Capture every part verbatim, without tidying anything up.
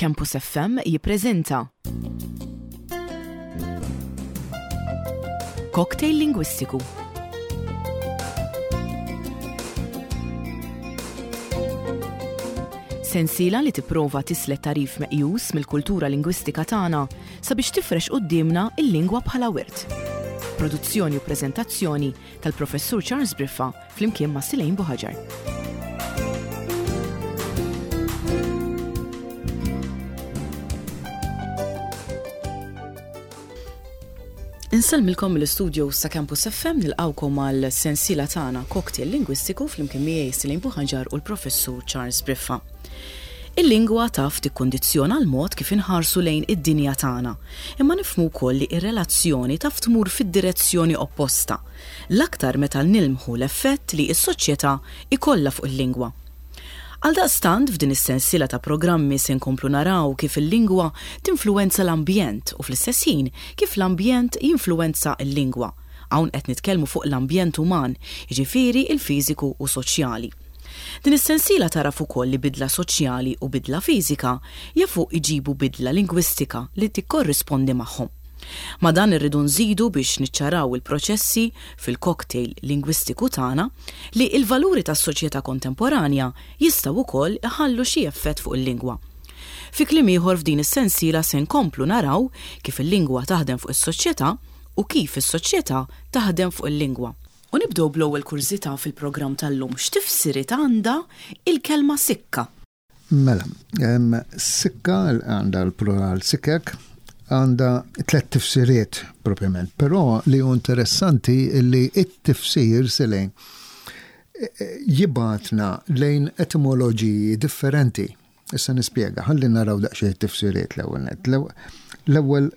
Campus F M jippreżenta Cocktail Lingwistiku. Sensiela li tipprova tislet tagħrif meqjus mill-kultura lingwistika tagħna sabiex tifrex quddiemna il-lingwa bħala wirt. Produzzjoni u preżentazzjoni tal-Professur Charles Briffa flimkien ma' Silejn Buħaġar. Insellmilkom mill-istudio sa' Campus F M, nilqawkom għal sensiela tagħna Cocktail Lingwistiku flimkien miegħi Silejn Buħaġar u l-Professur Charles Briffa. Il-lingwa taf tikkondizzjona l-mod kif inħarsu lejn id-dinja tagħna, imma nifhmu wkoll li r-relazzjoni taf tmur fid-direzzjoni opposta, l-aktar meta nilmħu l-effett li s-soċjetà ikollha fuq il-lingwa. Għaldaqstant, f'din is-sensiela ta' programmi se nkomplu naraw kif il-lingwa tinfluwenza l-ambjent u fl-istess ħin kif l-ambjent jinfluwenza l-lingwa. Hawn qed nitkellmu fuq l-ambjent uman, jiġifieri il-fiżiku u soċjali. Din is-sensiela taraf ukoll li bidla soċjali u bidla fiżika jafu iġibu bidla lingwistika li tikkorrispondi magħhom. Ma' dan irridu nżidu, biex niċċaraw il-proċessi fil-cocktail lingwistiku tagħna, li il-valuri tas-soċjetà kontemporanja jistgħu wkoll iħallu xi effett fuq il-lingwa. Fi kliem ieħor, f'din is-sensiela se nkomplu naraw kif il-lingwa taħdem fuq is-soċjetà u kif is-soċjetà taħdem fuq il-lingwa. U nibdew bl-ewwel kurżità fil-programm tal-lum: x'tifsiriet għandha il-kelma sikka? Mela, em, sikka għandha l-plural sikek, għandha tlet tifsiriet propjament, però li hu interessanti li it-tifsir silejn jibgħatna lejn etimoloġiji differenti. Issa nispjega, ħalli naraw daqsxejn tifsiriet l-ewwel net. L-ewwel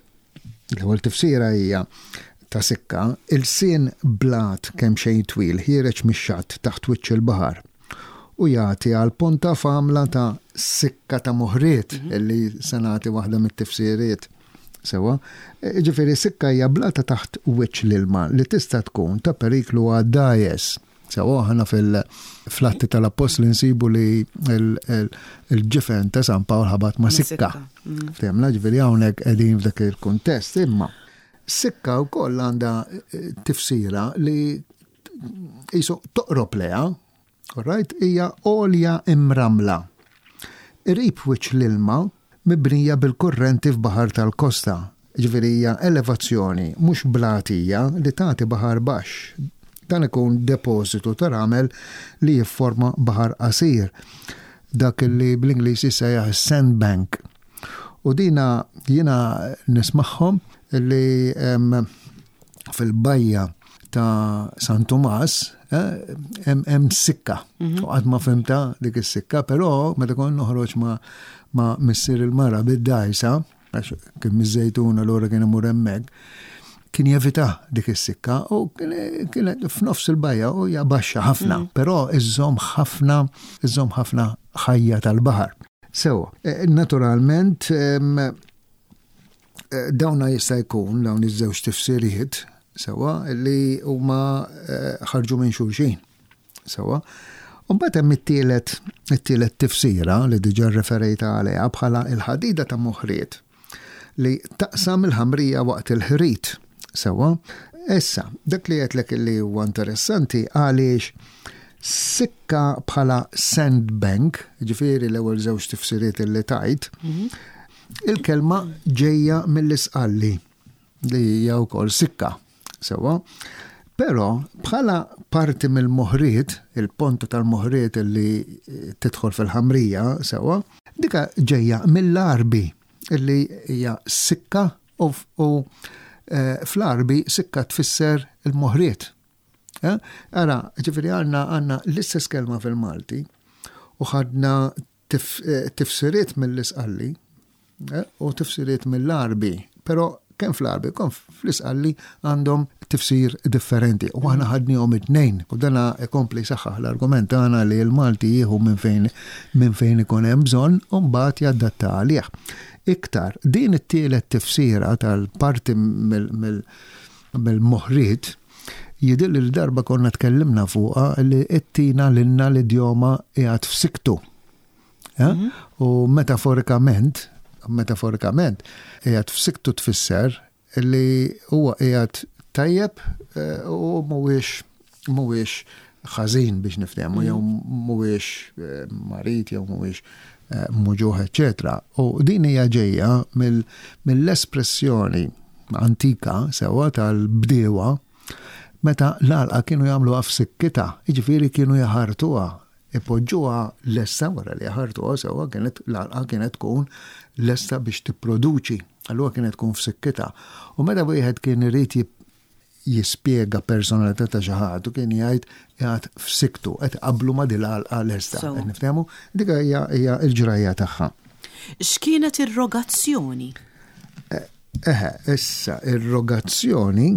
l-ewwel tifsira hija ta' sikka, ilsien blat kemm xejn twil ħiereġ mix-xatt taħt wiċċ il-baħar u jagħti għal ponta f'għamla ta' sikka ta' moħriet, illi se nagħti waħda mit-tifsiriet. Sewa, ġifieri sikka hija blata taħt wiċċ l-ilma li tista' tkun ta' periklu għad-dgħajjes. Sewa, aħna fil-Atti tal-Appostli nsibu li il-ġifen ta' San Pawl ħabat ma' sikka. Ftehimna, ġifieri hawnhekk qegħdin f'dak il-kuntest, imma sikka wkoll għandha tifsira li jisu toqrob leha, right, hija għolja imramla qrib wiċċ l-ilma, mibnija bil-kurrenti f'baħar tal-kosta. Ġifieri hija elevazzjoni mhux blatija li tagħti baħar baxx. Dan ikun depożitu ta' ramel li jifforma baħar qasir. Dak li bl-Ingliż jissejjaħ sandbank. U dina jiena nismagħhom li fil-bajja ta' San Tomas hemm sikka. U qatt ma fhimtha dik is-sikka, però meta kont noħroġ ma' ma' missier il-mara bid-dgħajsa, għax kien miż-Żejtun, allura kien imur hemmhekk, kien jevita dik is-sikka u kienet f'nofs il-bajja u hija baxxa ħafna, però iżżomm ħafna, iżżomm ħafna ħajja tal-baħar. Sewa, naturalment dawna jista' jkun dawn iż-żewġ tifsiriet sewa li huma ħarġu minn xulxin. Sewa. Mbagħad hemm it-tielet it-tielet tifsira li diġà referejta għaliha bħala il-ħadida ta' moħriet li taqsam il-ħamrija waqt il-ħrit. Sewa. Issa, dak li għedtlek li huwa interessanti għaliex sikka bħala sandbank, ġifieri l-ewwel żewġ tifsiriet li tajt, il-kelma ġejja mill-Isqalli li hija wkoll sikka. Sewa. Però bħala parti mill-moħriet, il-ponta tal-moħriet li tidħol fil-ħamrija, sewa, dika ġejja mill-Għarbi illi hija sikka u, u fl-Għarbi sikka tfisser il-moħriet. Ara, ġifieri għandna għandna l-istess kelma fil-Malti u ħadna tifsiriet mill-Isqalli u tifsiriet mill-Għarbi, però kemm fl-Għarbi, kemm fl-Isqalli għandhom tifsir differenti. U aħna ħadnihom it-tnejn. U dana ikompli saħħaħ l-argument tagħna li l-Malti jieħu minn fejn minn fejn ikun hemm bżonn u mbagħad jadatta għalih. Iktar, din it-tielet tifsira tal-parti mill-moħriet jidhirli li darba konna tkellimna fuqha li ittina lilna l-idjoma qiegħed f'siktu. U metaforikament Metaforikament, qiegħed f'siktu tfisser li huwa qiegħed tajjeb eh, u mhuwiex mhuwiex ħażin biex niftehmu, jew mhuwiex eh, marid jew mhuwiex eh, muġugħ, eċetera. U din hija ġejja mill-espressjoni antika sewwa tal-bdiewa meta l-għalqa kienu jagħmluha f'sikkitha, jiġifieri kienu jaħartuha, ipoġġuha lesta wara li jaħartuha sewwa, kienet l-għalqa kienet tkun lesta biex tipproduċi, allura kienet tkun f'sikkitha. U meta wieħed kien irid jispjega personalità ta' xi ħadd u kien jgħid qiegħed f'siktu, qed qablu ma' din l-għalqa lesta. Qed niftehmu? Dik hija l-ġrajja tagħha. X'kienet ir-rogazzjoni? Eħe, issa ir-rogazzjoni,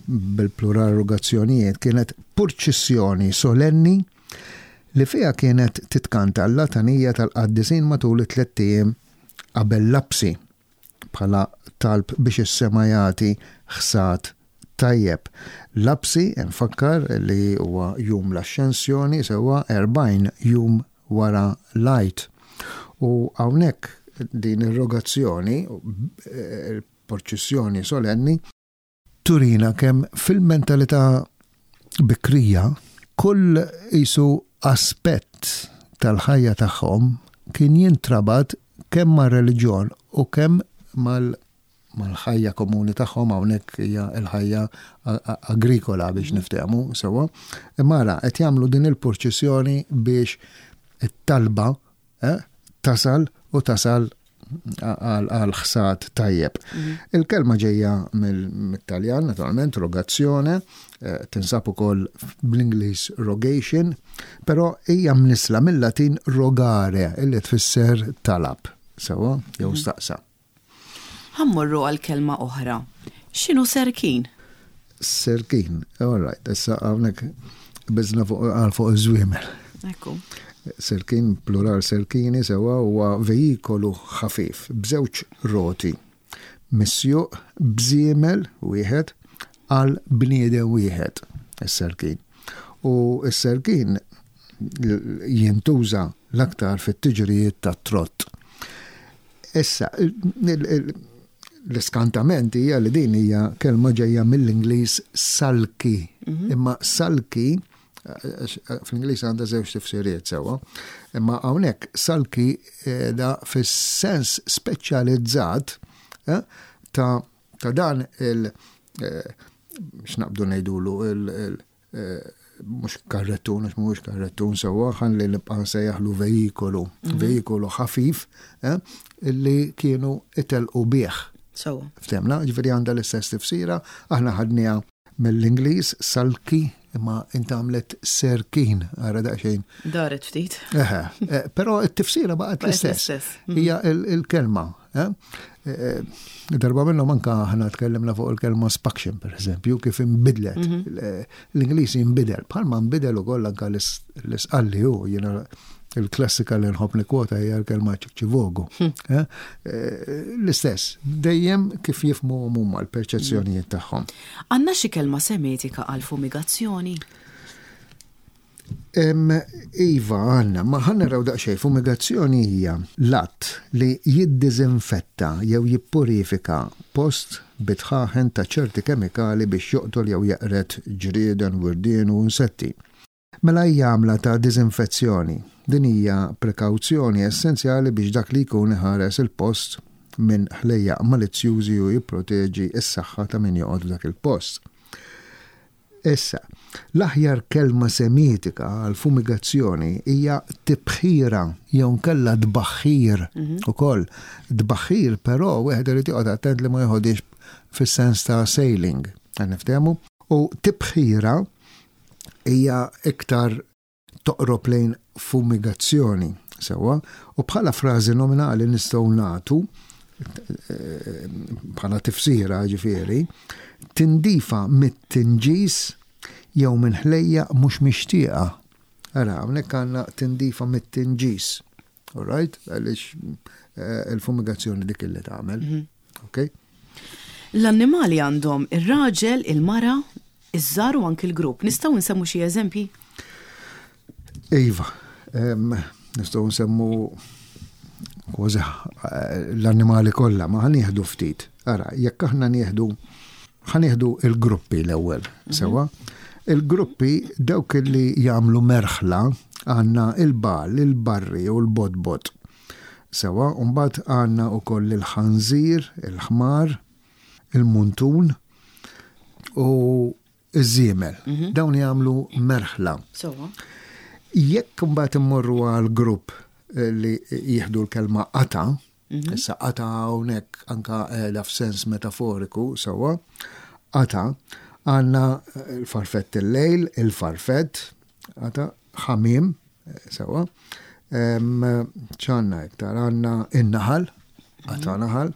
bil-plural rogazzjonijiet, kienet purċissjoni solenni li fiha kienet titkanta l-latanija tal-qaddisin matul it-tlett ijiem qabel lapsi bħala talb biex is-sema jagħti ħsad tajjeb. Lapsi, nfakkar li huwa jum l-Axxensjoni, sewwa erbgħin jum wara l-Għid. U hawnhekk din ir-rogazzjoni, il-purċissjoni solenni, turina kemm fil-mentalità bikrija kull isu aspett tal-ħajja tagħhom kien jintrabat kemm mar-reliġjon u kemm mal mal-ħajja komuni tagħhom, hawnhekk hija l-ħajja agrikola biex niftehmu sewwa. Imma ara qed jagħmlu din il-purċissjoni biex it-talba eh, tasal u tasal għal ħsad tajjeb. Il-kelma ġejja mill-Taljan, naturalment, rogazzjone, eh, tinsab ukoll bl-Ingliż rogation, però hija mnisla mill-Latin rogare, illi tfisser talab, sewwa, jew staqsa. Ħa mmorru għal kelma oħra. X'inhu serkin? Serkin, all right, issa hawnhekk biżna fuq għal fuq iż-żwiemel. Ekku. Serkin, plural serkini, sewwa, huwa vejikolu ħafif b'żewġ roti misjuq b'żiemel wieħed għal bniedem wieħed, is-serkin. U s-serkin jintuża l-aktar fit-tiġrijiet tat-trott. Issa, l-iskantament hija li din hija kelma ġejja mill-Ingliż sulky. Imma sulky fl-Ingliż għandha żewġ tifsiriet sewwa, imma hawnhekk sulky da fis-sens speċjalizzat eh, ta' ta' dan il eh, x'naqbdu ngħidulu il, il eh, mhux karrettun, għax mhuwiex karrettun sewwa, ħalli nibqa' nsejjaħlu vejikolu, vejikolu ħafif eh, illi kienu itelqu bih. Sewwa. Ftehmna, ġifieri għandha l-istess tifsira, aħna ħadniha mill-Ingliż sulky, imma intgħamlet serkin, ara daqsxejn. Daret ftit. Eħe, eh, però t-tifsira baqgħet Baqgħet l-istess. l-istess. Hija il- il-kelma. eh? Eh, Darba minnhom anka aħna tkellimna fuq il-kelma spaction, per eżempju, kif inbidlet. L-Ingliż inbidel, bħalma nbidel ukoll anka l-Isqalli hu, jiena il-klassika li nħobb nikkwota hija l-kelma ċikċivogu. Eh, eh, L-istess, dejjem kif jifhmu huma l-perċezzjonijiet tagħhom. Għandna xi kelma semitika għal fumigazzjoni? Em, Iva, għandna, ma ħa naraw daqsxejn, fumigazzjoni hija l-att li jiddiżinfetta jew jippurifika post bidħaħen ta' ċerti kemikali biex joqtol jew jeqred ġrieden, wirdien u insetti. Mela hija għamla ta' diżinfezzjoni. Din hija prekawzjoni essenzjali biex dak li jkun iħares il-post minn ħlejjaq malizzjużi u jipproteġi s-saħħa ta' min joqgħod f'dak il-post. Issa, l-aħjar kelma semitika għal fumigazzjoni hija tibħira jew nkella tbaħħir ukoll. Tbaħħir però wieħed irid joqgħod attent li ma joħodix fis-sens ta' sailing, qed niftehmu. U tibħira hija iktar toqrob lejn fumigazzjoni, sewwa, u bħala frażi nominali nistgħu nagħtu eh, bħala tifsira ġifieri, tindifa mit-tinġis jew minn ħlejja mhux mixtieqa. Ara, hawnhekk għandna tindifa mit-tinġis. All right? Għaliex eh, il-fumigazzjoni dik illi tagħmel. Ok? L-annimali għandhom ir-raġel, il-mara, iż-żgħar u anki l-grupp. Nistgħu nsemmu xi eżempji? Iva, em, nistgħu nsemmu kważi eh, l-annimali kollha, ma ħa nieħdu ftit. Ara, jekk aħna nieħdu ħa nieħdu il-gruppi l-ewwel, mhm. sewwa. Il-gruppi dawk li jagħmlu merħla għandna il-bagħal, il-barri u l-bodbot. Sewwa, mbagħad għandna wkoll il-ħanżir, il-ħmar, il-muntun u iż-żiemel. Mhm. Dawn jagħmlu merħla. Sewwa. Jekk mbagħad immorru għal grupp eh, li jieħdu l-kelma qata, mhm. issa qata hawnhekk anka qiegħda f'sens metaforiku, sewwa, qata għandna l-farfett il-lejl, il-farfett, qata ħamiem, eh, sewwa, ċanna iktar, għandna in-naħal, qata mhm. naħal,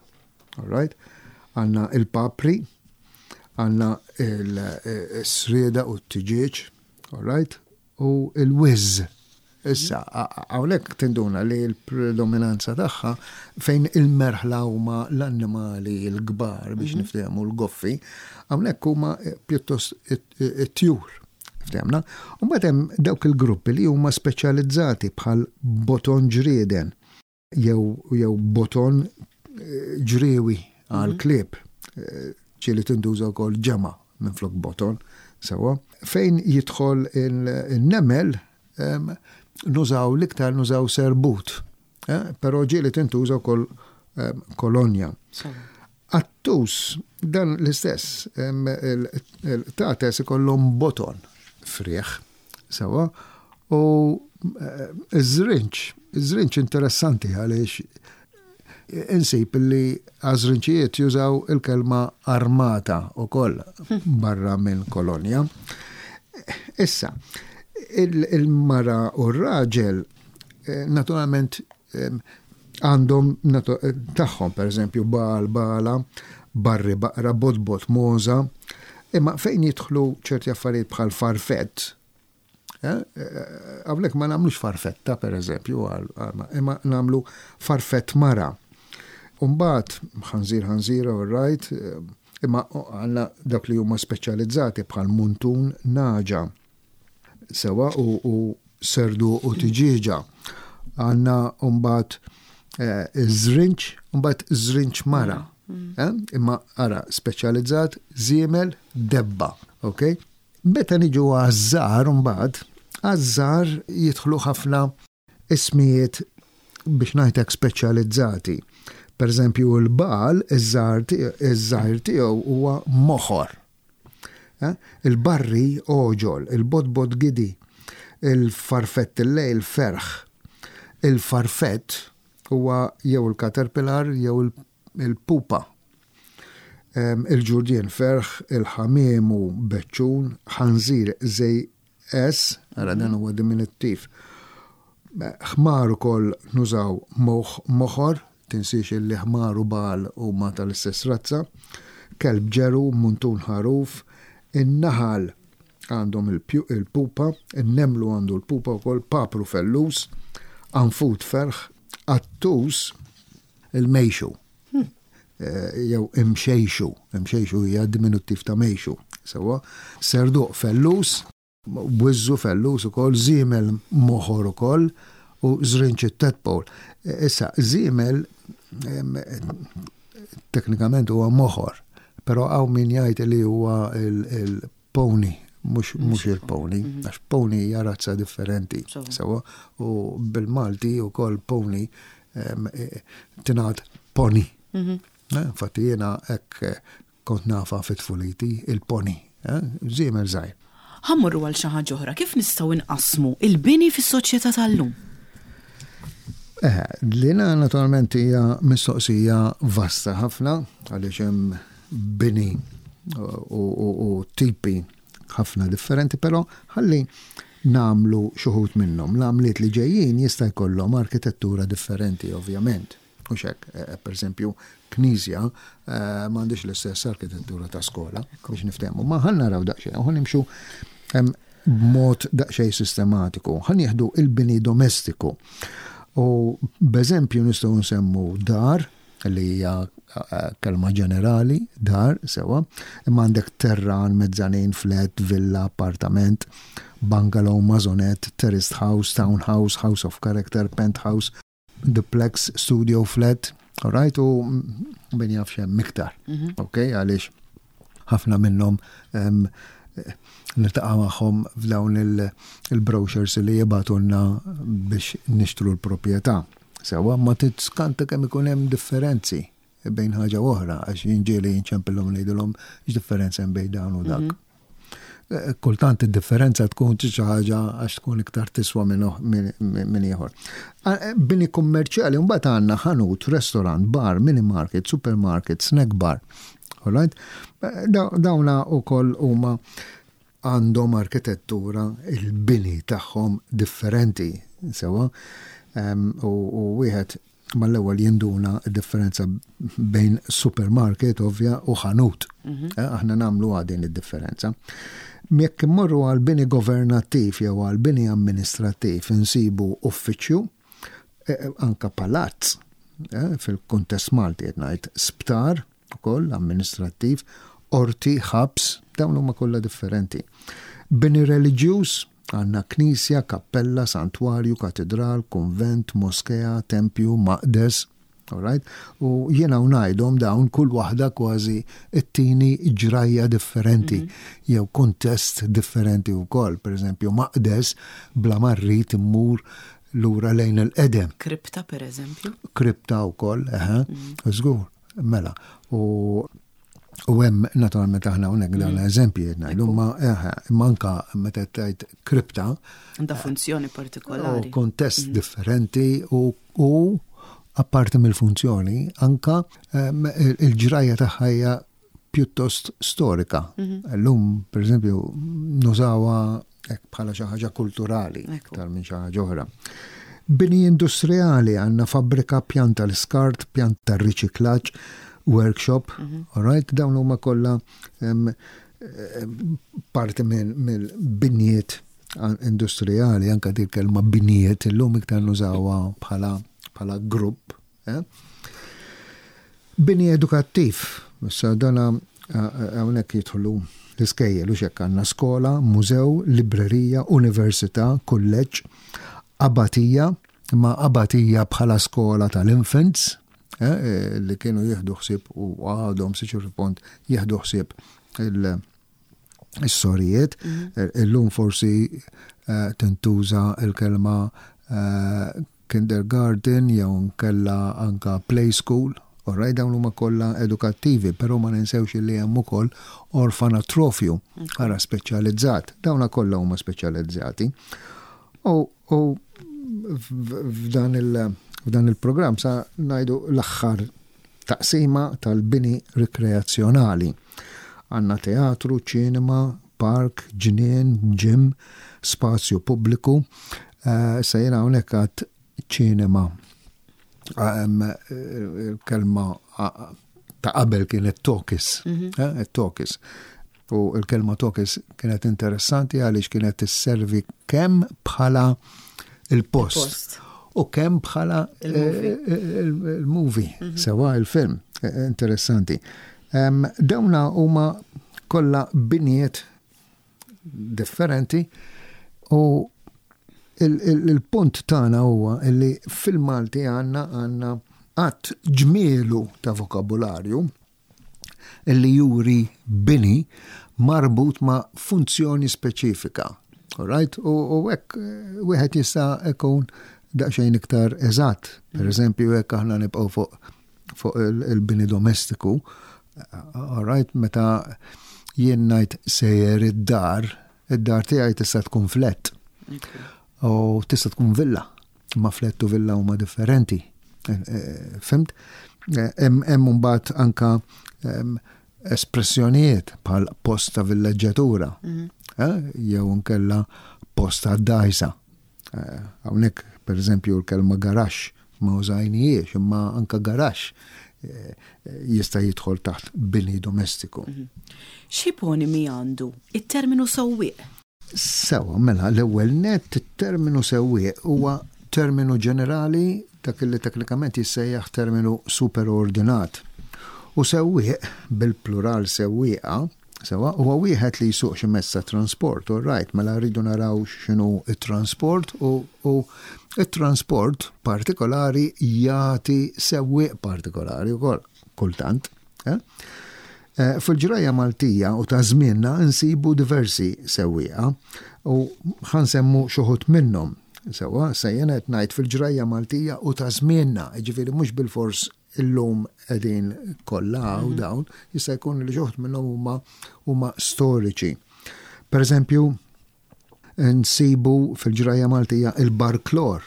all right, għandna il-papri, għandna il-srieda u t-tiġieġ, all right, u il-wiz. Issa, hawnhekk tinduna li l-predominanza tagħha fejn il-merħla huma l-annimali l-kbar biex mhm. niftehmu l-goffi, hawnhekk huma pjuttost it-tjur. Ftehmna? U mbagħad hemm dawk il-gruppi li huma speċjalizzati bħal boton ġrieden jew jew boton eh, ġriewi għal mhm. klieb eh, ġieli tintuża wkoll ġemgħa minn flok boton, sewwa. Fejn jidħol il-nemel, nużaw l-iktar nużaw serbut, eh, però ġieli tintuża wkoll kolonja. Qattus, dan l-istess, il-qtates ikollhom boton frieħ, sewwa, u eh, iż-żrinġ, iż-żrinġ interessanti għaliex insib li għaż-żrinġijiet jużaw il-kelma armata u koll barra minn kolonja. Issa, il-mara u r-raġel eh, naturalment għandhom tagħhom, per eżempju, bagħal, bagħla, barri, baqra, bodbot, mogħża, imma fejn jidħlu ċerti affarijiet bħal farfett, eh, eh, hawnhekk ma nagħmlux farfetta, per eżempju, imma nagħmlu farfett mara. Umbagħad, ħanżir ħanżira, all right, imma għandna dak li huma speċjalizzati bħal muntun nagħġa, sewwa u, u serdu u tiġieġa. Għandna umbagħad żrinġ, umbagħad żrinġ mara. Mm. Eh? Imma ara, speċjalizzat, żiemel, debba, ok? Meta niġu għaż-żgħar umbagħad, għaż-żgħar jidħlu ħafna ismijiet biex ngħidlek speċjalizzati. Per eżempju, il-bagħal, iż-żgħir tiegħu huwa moħor. Eh? Il-barri oġol, il-bodbod gidi, il-farfett il-lejl ferħ. Il-farfett huwa jew il-caterpillar jew il-pupa. Il-ġurdien ferħ, il-ħamiemu beċċun, ħanżir zej S, ara dan huwa diminuttiv. Ħmar ukoll nużaw moħor, tinsiex li ħmar u bagħal huma tal-istess razza, kelb ġeru, muntun ħaruf, in-naħal għandhom il-pupa, in-nemlu għandu l-pupa wkoll, papru fellus, anfut ferħ, qattus il-mejxu. Hmm. Eh, jew imxejxu, imxejxu hija diminuttiv ta' mejxu. Sewwa, serduq fellus, wiżżu fellus ukoll, żiemel moħor ukoll u żrinċ tadpole. Issa, żiemel teknikament huwa moħor, però hawn min jgħid li huwa il-pony, mhux il-pony, mhm. għax pony hija razza differenti. Sewwa, u bil-Malti ukoll pony tingħad pony. Mhm. Eh, infatti jiena hekk eh, kont nafa fit-tfuliti il-pony, eh, żiemel żgħir. Ħa mmorru għal xi ħaġa oħra, kif nistgħu nqassmu il-bini fis-soċjetà tal-lum? Eh, lina naturalment hija mistoqsija vasta ħafna għaliex hemm bini u, u, u tipi ħafna differenti, però ħalli nagħmlu xi wħud minnhom. L-għamliet li ġejjin jista' jkollhom arkitettura differenti, ovvjament. U hekk, eh, per eżempju, knisja eh, m'għandix l-istess arkitettura ta' skola, biex niftehmu. Ma ħa naraw daqsxejn, u nimxu b'mod daqsxejn sistematiku. Ħa nieħdu il-bini domestiku. U b'eżempju nistgħu nsemmu dar, li hija eh, kelma ġenerali, dar, sewwa, imma għandek terran, mezzanin, flat, villa, appartament, bungalow, maisonette, terraced house, townhouse, house of character, penthouse, duplex, studio flat, all right, u min jaf x'hemm iktar, mhm. ok, għaliex ħafna minnhom niltaqa' magħhom f'dawn il-brochures li jibagħtulna biex nixtru l-proprjetà. Sewa, ma tiskanta kemm ikun hemm differenzi bejn ħaġa oħra, għax jien ġieli nċempillhom, ngħidilhom x'differenza hemm bejn dan u dak. Mhm. Eh, kultant id-differenza tkun xi ħaġa għax tkun iktar tiswa minn ieħor. Eh, bini kummerċjali mbagħad għandna ħanut, restaurant, bar, mini market, supermarket, snack bar. Alright? Eh, dawna ukoll huma għandhom arkitettura, il-bini tagħhom differenti, sewa, u wieħed mal-ewwel jinduna differenza bejn supermarket ovvja u ħanut. Mhm. Eh, aħna nagħmlu din id-differenza. Jekk immorru għal bini governattiv jew għal bini amministrattiv, insibu uffiċċju, eh, anka palazz, eh, fil-kuntest Malti qed ngħid, sptar ukoll amministrattiv, qorti, ħabs, dawn huma kollha differenti. Bini reliġjuż għandna knisja, kappella, santwarju, katedral, konvent, moskea, tempju, maqdes. Alright? U jiena u ngħidhom dawn, kull waħda kważi it-tini ġrajja differenti mm -hmm. jew kuntest differenti wkoll. Per eżempju, maqdes bla ma rrid immur lura lejn il-qedem. Kripta, per eżempju? Kripta wkoll, eħe, mm. żgur, mela. U U hemm naturalment aħna hawnhekk dawn mm. eżempji qed ngħidu, ma imma anka meta tgħid kripta. Għandha funzjoni partikolari. U kontest mm. differenti u, u apparti mill-funzjoni anka il-ġrajja tagħha hija pjuttost storika. Mhm. Illum, per eżempju, nużawha bħala xi ħaġa kulturali iktar minn xi ħaġa oħra. Bini industrijali għandna fabbrika, pjanta l-iskart, pjanta riċiklaġġ, workshop, mm -hmm. all right, dawn huma kollha parti mill-binjiet industrijali, anka dik kelma binjiet illum iktar nużawha bħala bħala grupp. Eh? Bini edukattiv, issa dana hawnhekk jidħlu l-iskejjel u xek, għandna skola, mużew, librerija, università, kulleġġ, abatija, ma abatija bħala skola tal-infants, eh, eh, li kienu jieħdu ħsieb u għadhom sa ċertu punt jieħdu ħsieb il-sorijiet. Mhm. Illum forsi eh, tintuża il-kelma kindergarten jew nkella anka play school. Alright, dawn huma kollha edukattivi, però ma ninsewx li hemm ukoll orfanatrofju, ara speċjalizzat. Dawna kollha huma speċjalizzati. U f'dan il- f'dan il-programm sa ngħidu l-aħħar taqsima tal-bini rikreazzjonali. Għandna teatru, ċinema, park, ġnien, gym, spazju pubbliku. Uh, se jiena hawnhekk għad ċinema. Il-kelma ta' qabel kienet talkies. Mhm. Eh, talkies. U il-kelma talkies kienet interessanti għaliex kienet tisservi kemm bħala il-post u kemm bħala il-movie, mhm. sewa, il-film, eh, interessanti. Dawna huma kollha binijiet differenti u il-punt tagħna huwa li fil-Malti għandna għandna għadd ġmielu ta' vokabularju illi juri bini marbut ma' funzjoni speċifika. Alright? U hekk eh, wieħed jista' ikun daqsxejn iktar eżatt. Per mm. eżempju, hekk aħna nibqgħu fuq fuq il-bini domestiku, alright, meta jien ngħid sejjer id-dar, id-dar tiegħi tista' tkun flat. U tista' tkun villa. Ma flat u villa huma differenti. Eh, eh, fhimt? Eh, hemm mbagħad anka espressjonijiet bħal post ta' villeġġatura mhm. jew nkella post ta' dajsa. Hawnhekk, per eżempju, l-kelma garaxx ma użajnijiex, imma anka garaxx jista' jidħol taħt bini domestiku. Mhm. X'iponimi għandu it-terminu sewwieq? Sewa, mela, l-ewwel net terminu sewwieq huwa terminu ġenerali, dak li teknikament jissejjaħ terminu superordinat. U sewwieq, bil-plural sewwieqa, Sewwa, huwa wieħed li jsuq xi mezz ta' trasport, all right, mela rridu naraw x'inhu it-trasport u, u it-trasport partikolari jagħti sewwieq partikolari wkoll kultant. Eh? Eh, fil-ġrajja Maltija u ta' żmienna nsibu diversi sewwieqa u ħa nsemmu xi wħud minnhom. Sewwa, sejjen qed ngħid fil-ġrajja Maltija u ta' żmienna, jiġifieri mhux bilfors illum qegħdin kollha u dawn, jista' jkun li xi wħud minnhom huma huma storiċi. Per eżempju, nsibu fil-ġrajja Maltija il-barklor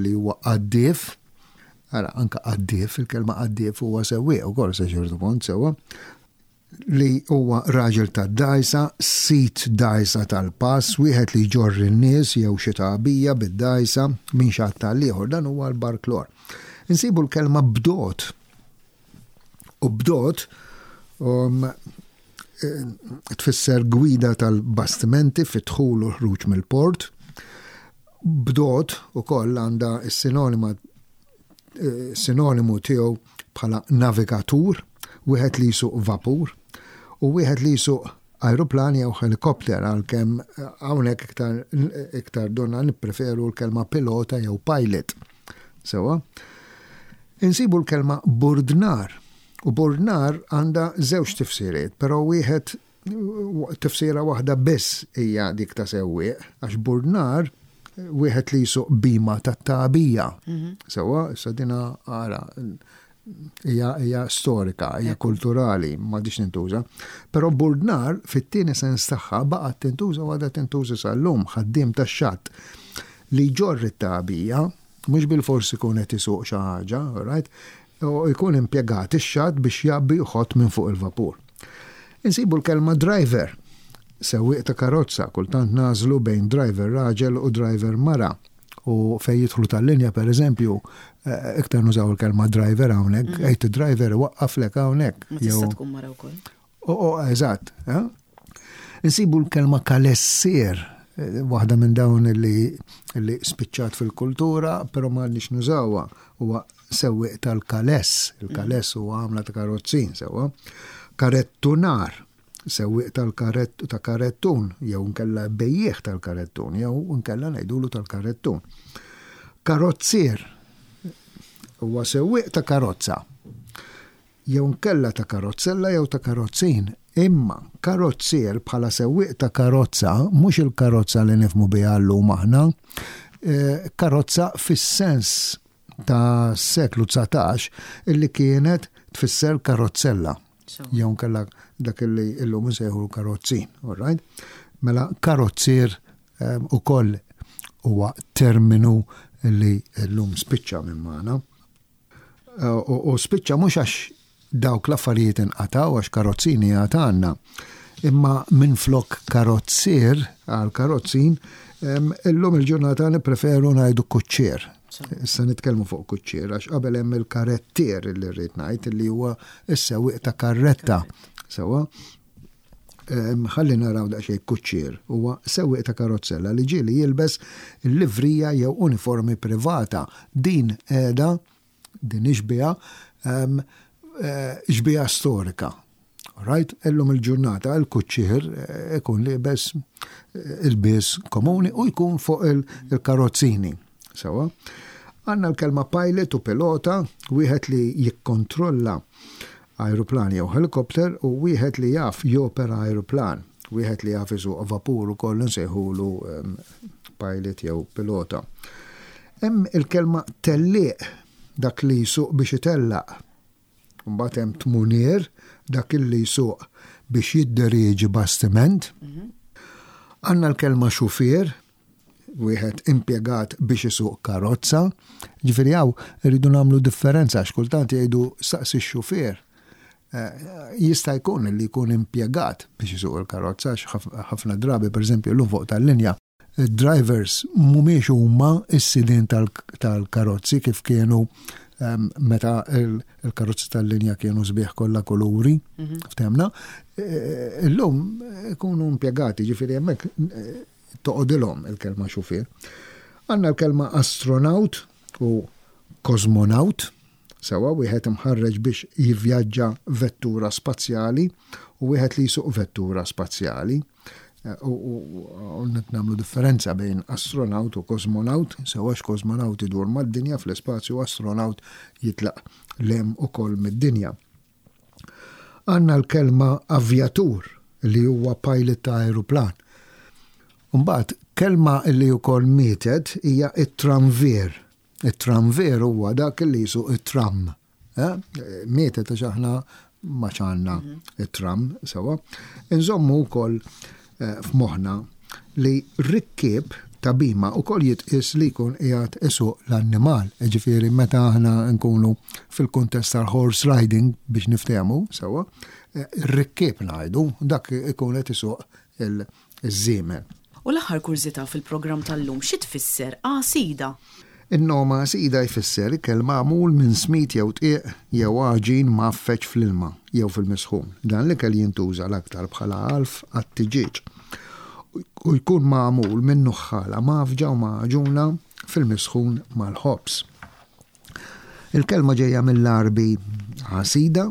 li huwa qaddif, ara, anka qaddif, il-kelma qaddif huwa sewwieq ukoll sa ċertu punt sewwa, li huwa raġel ta' dajsa, sid dajsa tal-pass, wieħed li jġorr in-nies jew xi tagħbija bid-dajsa minn xatt għall-ieħor, dan huwa l-barklor. Insibu l-kelma bdot. U bdot um, eh, tfisser gwida tal-bastimenti fit-dħul u ħruġ mill-port. Bdot ukoll għandha s-sinonima eh, sinonimu tiegħu bħala navigatur, wieħed li jsuq vapur u wieħed li jsuq aeroplan jew helikopter, għalkemm eh, hawnhekk iktar iktar donna nippreferu l-kelma pilota jew pilot. Sewwa. Insibu l-kelma burdnar. U burdnar għandha żewġ tifsiriet, però wieħed tifsira waħda biss hija dik ta' sewwieq, għax burdnar wieħed li jsuq bima tat-tagħbija. Sewwa, issa dina ara hija hija storika, hija kulturali, m'għadix tintuża. Però burdnar fit-tieni sens tagħha baqgħet tintuża u għadha tintuża sal-lum, ħaddiem tax-xatt li jġorr it-tagħbija, mhux bilfors ikun qed isuq xi ħaġa, right? U jkun impjegat ix-xatt biex jgħabbi jħott minn fuq il-vapur. Insibu l-kelma driver, sewwieq ta' karozza, kultant nagħżlu bejn driver raġel u driver mara. U fej jidħlu tal-linja, per eżempju, eh, iktar nużaw il-kelma driver hawnhekk, għid driver waqqaflek hawnhekk. Ma tista' tkun mara wkoll. O, o, eżatt. Eh? Insibu l-kelma kalessier, eh, waħda minn dawn li, li spiċċat fil-kultura, però ma nix nużawha, huwa sewwieq tal-kaless. Il-kaless huwa għamla ta' karozzin, sewwa. Karettunar, sewwieq tal-karett ta' karettun, jew nkella bejjiegħ tal-karettun, jew nkella ngħidulu tal-karettun. Karozzier huwa sewwieq ta' karozza, jew nkella ta' karozzella jew ta' karozzin. Imma karozzier bħala sewwieq ta' karozza, mhux il-karozza li nifhmu biha llum aħna, eh, karozza fis-sens ta' seklu dsatax illi kienet tfisser karozzella. Jew nkella dak li illum insejħu karozzin, all right? Mela karozzier eh, ukoll huwa terminu li llum spiċċa minn magħna. Eh, U u spiċċa mhux għax dawk l-affarijiet inqataw, għax karozzini għad għandna. Imma minn flok karozzier għal karozzin, em, illum il-ġurnata nippreferu ngħidu kuċċier. Issa nitkellmu fuq kuċċier, għax qabel hemm il-karettier li rrid ngħid li huwa s-sewwieq ta' karretta. Sewwa. Em, ħalli naraw daqsxejn kuċċier. Huwa sewwieq ta' karozzella li ġieli jilbes il-livrija jew uniformi privata. Din qiegħda, din ixbiha, em, eh, xbiha storika. Right? Illum il-ġurnata il-kuċċier eh, ikun liebes eh, il-bies komuni u jkun fuq il- il-karozzini. Sewwa. Għandna l-kelma pilot u pilota, wieħed li jikkontrolla aeroplan jew helikopter u wieħed li jaf jopera aeroplan. Wieħed li jaf isuq vapur ukoll nsejħulu em, pilot jew pilota. Hemm il-kelma tellieq, dak li jsuq biex itellaq. Mbagħad hemm tmunier, dak li jsuq biex jidderieġi bastiment. Għandna l-kelma xufier, wieħed impjegat biex isuq karozza. Ġifieri hawn irridu nagħmlu differenza għax kultant jgħidu saqsi x-xufier. Eh, jista' jkun li jkun impjegat biex isuq il-karozza għax ħaf-, ħafna drabi, pereżempju, llum fuq tal-linja, drivers mhumiex huma s-sidien tal-, tal-karozzi kif kienu em, meta il- il-karozzi tal-linja kienu sbieħ kollha kuluri, ftehmna. Eh, Illum ikunu impjegati, ġifieri hemmhekk eh, toqgħodilhom il-kelma xufier. Għandna l-kelma astronaut u kosmonaut, Sewwa, wieħed imħarreġ biex jivvjaġġa vettura spazjali u wieħed li jsuq vettura spazjali. U nagħmlu differenza bejn astronaut u kosmonaut, sewwa, kosmonaut idur mad-dinja fl-ispazju, astronaut jitlaq 'l hemm ukoll mid-dinja. Għandna l-kelma avjatur, li huwa pilot ta' aeroplan. Mbagħad kelma li wkoll mietet hija it-tramvir. It-tramvir huwa dak li jsuq it-tram. Eh? Mietet għax aħna ma għandna mhm. it-tram, sewwa. Inżommu wkoll eh, f'moħħna li rikkieb ta' bhima ukoll jitqies li jkun qiegħed isuq l-annimal. Ġifieri meta aħna nkunu fil-kuntest tal-horse riding, biex niftehmu, sewwa, eh, rikkieb ngħidu, dak ikun qed isuq il-żiemel. U l-aħħar kurżità fil-programm tal-lum, xi tfisser għasida? In-nom għasida jfisser ikel magħmul minn smid jew dqiq jew għaġin mgħaffeġ fl-ilma jew fil-misħun. Dan l-ikel jintuża l-aktar bħala għalf għat-tiġieġ. U jkun magħmul minn nuħħala mgħaffġa u magħġuna fil-misħun mal-ħobż. Il-kelma ġejja mill-Għarbi għasida,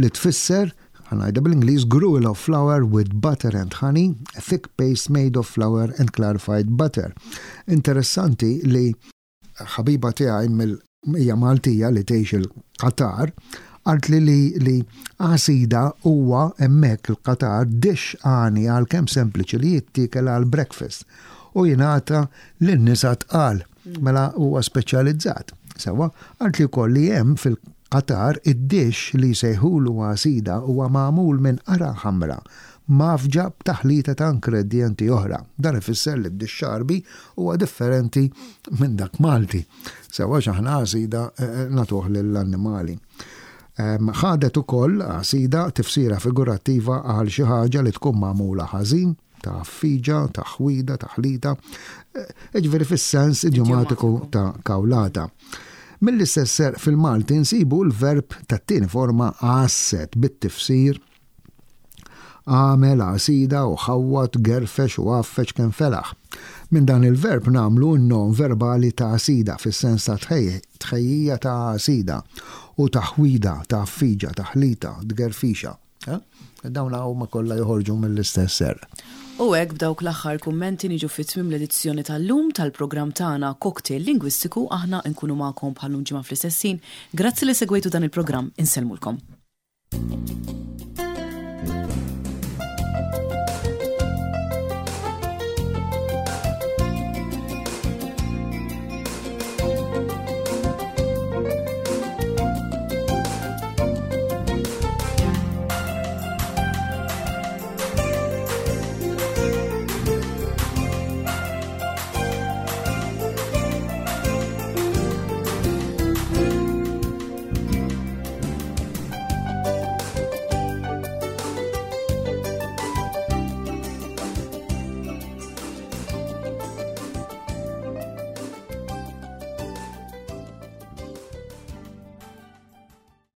li tfisser, ħa ngħidha bl-Ingliż, "gruel of flour with butter and honey, a thick paste made of flour and clarified butter." Interessanti li ħabiba tiegħi mill hija Maltija li tgħix il-Qatar qaltli li li għasida huwa hemmhekk il-Qatar dish għani, għalkemm sempliċi, li jittiekel għal breakfast u jingħata lin-nisa tqal, mela huwa speċjalizzat. Sewwa, qaltli wkoll li hemm fil-Qatar id-dish li jsejħulu għasida huwa magħmul minn qara ħamra mgħaffġa b'taħlita ta' ingredienti oħra. Dan ifisser li d-dish Għarbi huwa differenti minn dak Malti. Sewwa, aħna għasida eh, eh, nagħtuh lill-annimali. Ħadet ukoll għasida tifsira figurattiva għal xi ħaġa li tkun magħmula ħażin, ta' fiġa, ta' ħwida, ta' ħlita, eh, ġifieri fis-sens idjomatiku ta' kawlata. Mill-istess fil-Malti nsibu l-verb tat-tieni forma għasset bit-tifsir għamel għasida u ħawwad, gerfex u għaffeġ kemm felaħ. Minn dan il-verb nagħmlu n-nom verbali ta' għasida fis-sens ta' tħejjija ta' għasida u ta' ħwida, ta' fiġa, ta' ħlita, tgerfixa. Eh? Dawn huma kollha joħorġu mill-istess ser. U hekk, b'dawk l-aħħar kummenti, niġu fi tmiem l-edizzjoni tal-lum tal-programm tagħna Cocktail Lingwistiku. Aħna nkunu magħkom bħal ġimgħa fl-istess ħin. Grazzi li segwejtu dan il-programm, insellmulkom.